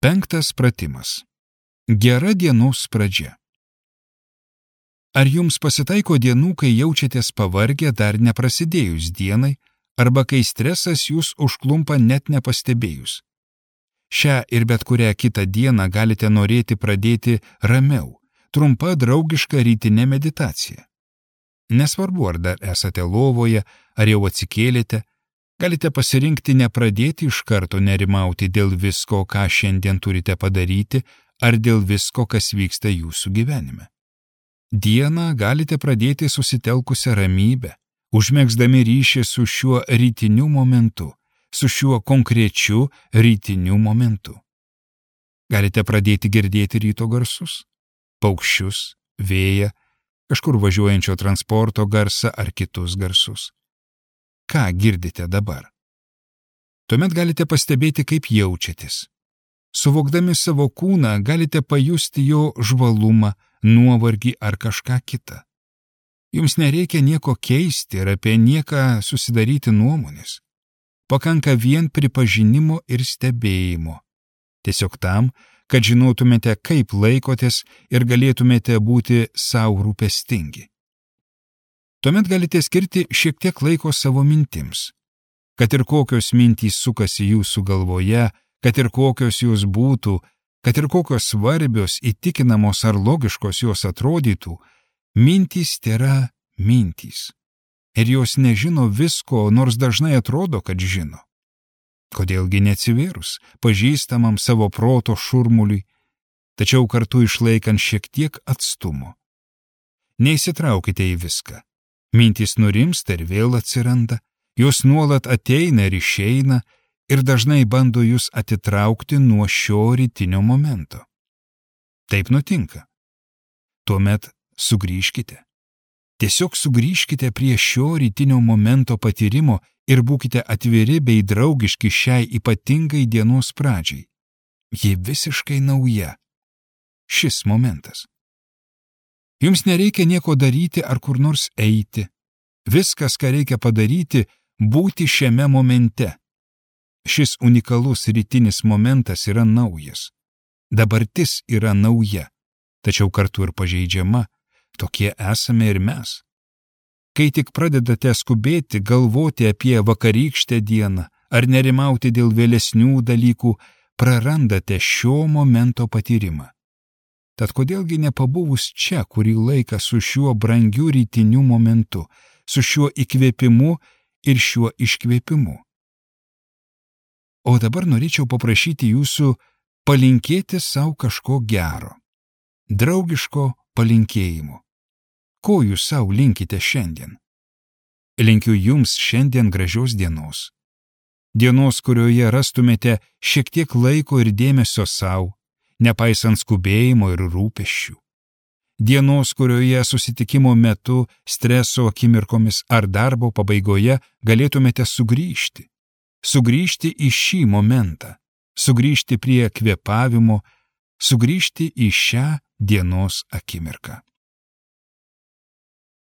5 pratimas. Gera dienos pradžia. Ar jums pasitaiko dienų, kai jaučiatės pavargę dar neprasidėjus dienai, arba kai stresas jūs užklumpa net nepastebėjus? Šią ir bet kurią kitą dieną galite norėti pradėti ramiau, trumpa draugiška rytinė meditacija. Nesvarbu, ar dar esate lovoje, ar jau atsikėlėte, galite pasirinkti nepradėti iš karto nerimauti dėl visko, ką šiandien turite padaryti, ar dėl visko, kas vyksta jūsų gyvenime. Dieną galite pradėti susitelkusią ramybę, užmegzdami ryšį su šiuo rytiniu momentu, su šiuo konkrečiu rytiniu momentu. Galite pradėti girdėti ryto garsus, paukščius, vėją, kažkur važiuojančio transporto garsą ar kitus garsus. Ką girdite dabar? Tuomet galite pastebėti, kaip jaučiatės. Suvokdami savo kūną galite pajusti jo žvalumą, nuovargį ar kažką kitą. Jums nereikia nieko keisti ir apie nieką susidaryti nuomonės. Pakanka vien pripažinimo ir stebėjimo. Tiesiog tam, kad žinotumėte, kaip laikotės ir galėtumėte būti sau rūpestingi. Tuomet galite skirti šiek tiek laiko savo mintims. Kad ir kokios mintys sukasi jūsų galvoje, kad ir kokios jūs būtų, kad ir kokios svarbios, įtikinamos ar logiškos jos atrodytų, mintys tėra mintys. Ir jos nežino visko, nors dažnai atrodo, kad žino. Kodėlgi neatsivėrus pažįstamam savo proto šurmuliui, tačiau kartu išlaikant šiek tiek atstumo. Neįsitraukite į viską. Mintys nurimsta ir vėl atsiranda, jos nuolat ateina ir išeina ir dažnai bando jūs atitraukti nuo šio rytinio momento. Taip nutinka. Tuomet sugrįžkite. Tiesiog sugrįžkite prie šio rytinio momento patyrimo ir būkite atviri bei draugiški šiai ypatingai dienos pradžiai. Ji visiškai nauja. Šis momentas. Jums nereikia nieko daryti ar kur nors eiti. Viskas, ką reikia padaryti, būti šiame momente. Šis unikalus rytinis momentas yra naujas. Dabartis yra nauja, tačiau kartu ir pažeidžiama. Tokie esame ir mes. Kai tik pradedate skubėti, galvoti apie vakarykštę dieną ar nerimauti dėl vėlesnių dalykų, prarandate šio momento patyrimą. Tad kodėlgi nepabuvus čia kurį laiką su šiuo brangiu rytiniu momentu, su šiuo įkvėpimu ir šiuo iškvėpimu? O dabar norėčiau paprašyti jūsų palinkėti savo kažko gero, draugiško palinkėjimo. Ko jūs savo linkite šiandien? Linkiu jums šiandien gražios dienos. Dienos, kurioje rastumėte šiek tiek laiko ir dėmesio savo, nepaisant skubėjimo ir rūpesčių. Dienos, kurioje susitikimo metu, streso akimirkomis ar darbo pabaigoje galėtumėte sugrįžti. Sugrįžti į šį momentą, sugrįžti prie kvėpavimo, sugrįžti į šią dienos akimirką.